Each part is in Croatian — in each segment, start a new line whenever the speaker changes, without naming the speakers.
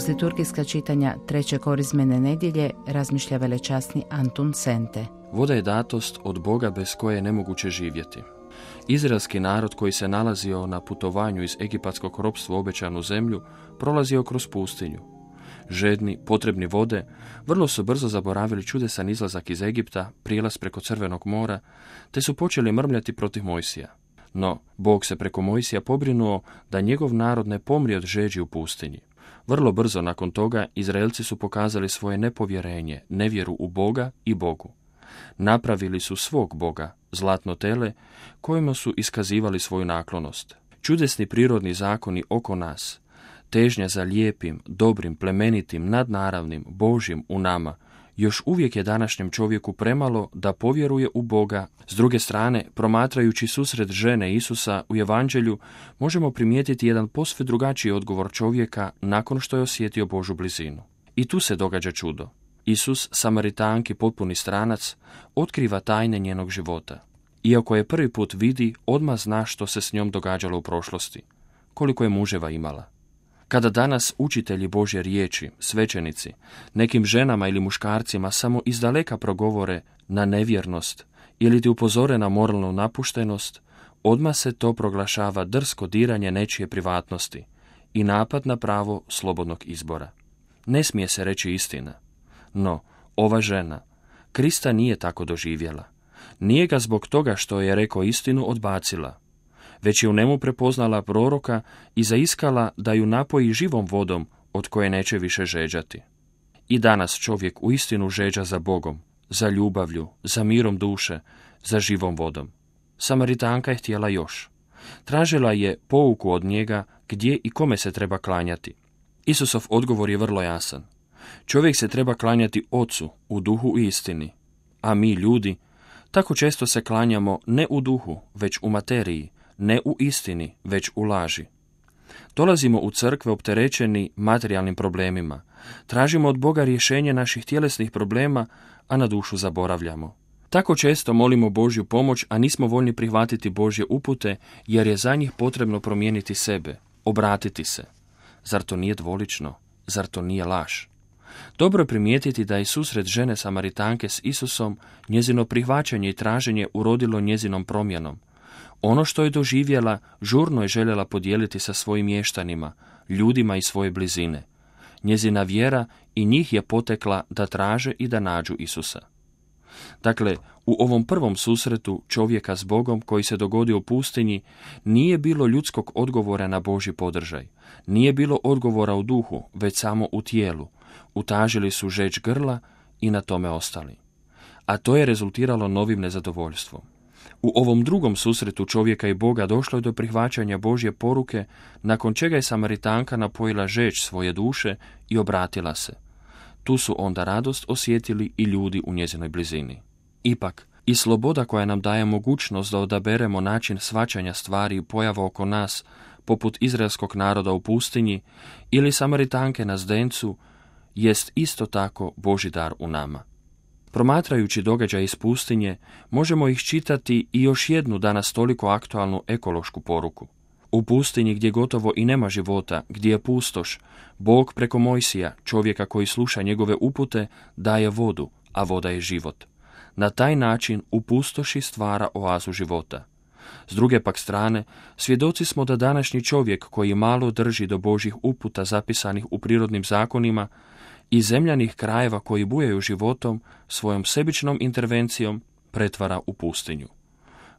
Uz liturgijska čitanja treće korizmene nedjelje razmišlja velečasni Antun Sente.
Voda je datost od Boga bez koje je nemoguće živjeti. Izraelski narod koji se nalazio na putovanju iz egipatskog ropstva u obećanu zemlju prolazio kroz pustinju. Žedni, potrebni vode, vrlo su brzo zaboravili čudesan izlazak iz Egipta, prijelaz preko Crvenog mora, te su počeli mrmljati protiv Mojsija. No, Bog se preko Mojsija pobrinuo da njegov narod ne pomri od žeđi u pustinji. Vrlo brzo nakon toga Izraelci su pokazali svoje nepovjerenje, nevjeru u Boga i Bogu. Napravili su svog Boga, zlatno tele, kojima su iskazivali svoju naklonost. Čudesni prirodni zakoni oko nas, težnja za lijepim, dobrim, plemenitim, nadnaravnim, Božjim u nama, još uvijek je današnjem čovjeku premalo da povjeruje u Boga. S druge strane, promatrajući susret žene Isusa u Evanđelju, možemo primijetiti jedan posve drugačiji odgovor čovjeka nakon što je osjetio Božju blizinu. I tu se događa čudo. Isus, Samaritanki potpuni stranac, otkriva tajne njenog života. Iako je prvi put vidi, odmah zna što se s njom događalo u prošlosti, koliko je muževa imala. Kada danas učitelji Božje riječi, svećenici, nekim ženama ili muškarcima samo izdaleka progovore na nevjernost ili ti upozore na moralnu napuštenost, odmah se to proglašava drsko diranje nečije privatnosti i napad na pravo slobodnog izbora. Ne smije se reći istina. No, ova žena Krista nije tako doživjela. Nije ga zbog toga što je rekao istinu odbacila, već je u njemu prepoznala proroka i zaiskala da ju napoji živom vodom od koje neće više žeđati. I danas čovjek uistinu žeđa za Bogom, za ljubavlju, za mirom duše, za živom vodom. Samaritanka je htjela još. Tražila je pouku od njega gdje i kome se treba klanjati. Isusov odgovor je vrlo jasan. Čovjek se treba klanjati Ocu u duhu i istini, a mi ljudi tako često se klanjamo ne u duhu, već u materiji, ne u istini, već u laži. Dolazimo u crkve opterećeni materijalnim problemima, tražimo od Boga rješenje naših tjelesnih problema, a na dušu zaboravljamo. Tako često molimo Božju pomoć, a nismo voljni prihvatiti Božje upute, jer je za njih potrebno promijeniti sebe, obratiti se. Zar to nije dvolično? Zar to nije laž? Dobro je primijetiti da je susret žene Samaritanke s Isusom, njezino prihvaćanje i traženje urodilo njezinom promjenom. Ono što je doživjela, žurno je željela podijeliti sa svojim mještanima, ljudima iz svoje blizine. Njezina vjera i njih je potekla da traže i da nađu Isusa. Dakle, u ovom prvom susretu čovjeka s Bogom koji se dogodio u pustinji, nije bilo ljudskog odgovora na Božji podržaj. Nije bilo odgovora u duhu, već samo u tijelu. Utažili su žeđ grla i na tome ostali. A to je rezultiralo novim nezadovoljstvom. U ovom drugom susretu čovjeka i Boga došlo je do prihvaćanja Božje poruke, nakon čega je Samaritanka napojila žeđ svoje duše i obratila se. Tu su onda radost osjetili i ljudi u njezinoj blizini. Ipak, i sloboda koja nam daje mogućnost da odaberemo način shvaćanja stvari i pojava oko nas, poput izraelskog naroda u pustinji ili Samaritanke na zdencu, jest isto tako Božji dar u nama. Promatrajući događaj iz pustinje, možemo ih čitati i još jednu danas toliko aktualnu ekološku poruku. U pustinji gdje gotovo i nema života, gdje je pustoš, Bog preko Mojsija, čovjeka koji sluša njegove upute, daje vodu, a voda je život. Na taj način u pustoši stvara oazu života. S druge pak strane, svjedoci smo da današnji čovjek koji malo drži do Božjih uputa zapisanih u prirodnim zakonima i zemljanih krajeva koji bujaju životom, svojom sebičnom intervencijom pretvara u pustinju.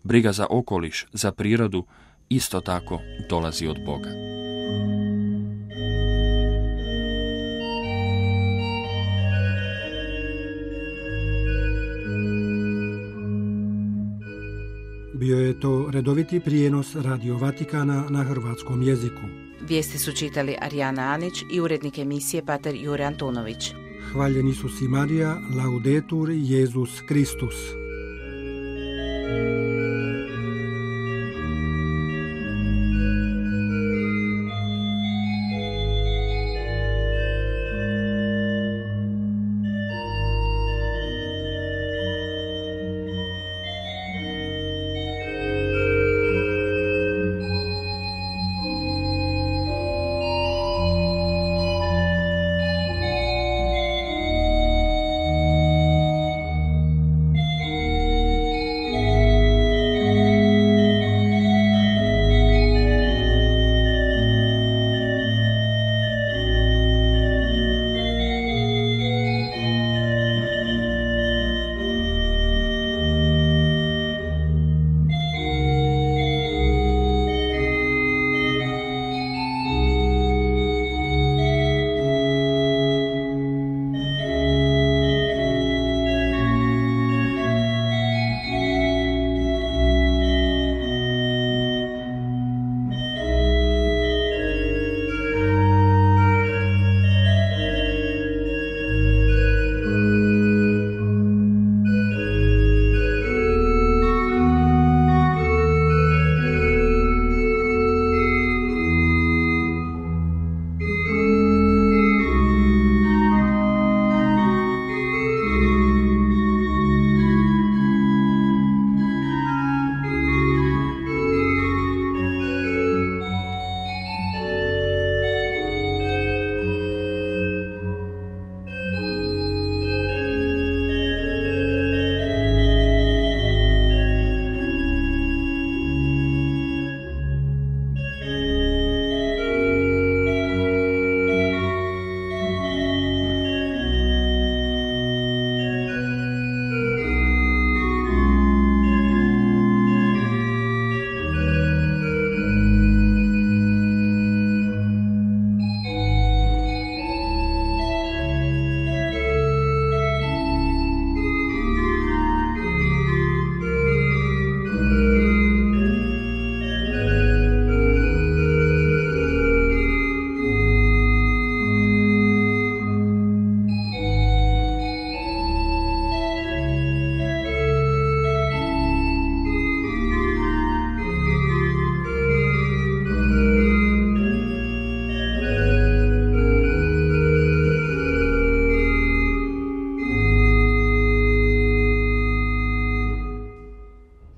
Briga za okoliš, za prirodu, isto tako dolazi od Boga.
Bio je to redoviti prijenos Radio Vatikana na hrvatskom jeziku.
Vijesti su čitali Arijana Anić i urednik emisije pater Jure Antunović.
Hvaljeni su si Marija, laudetur Jesus Kristus.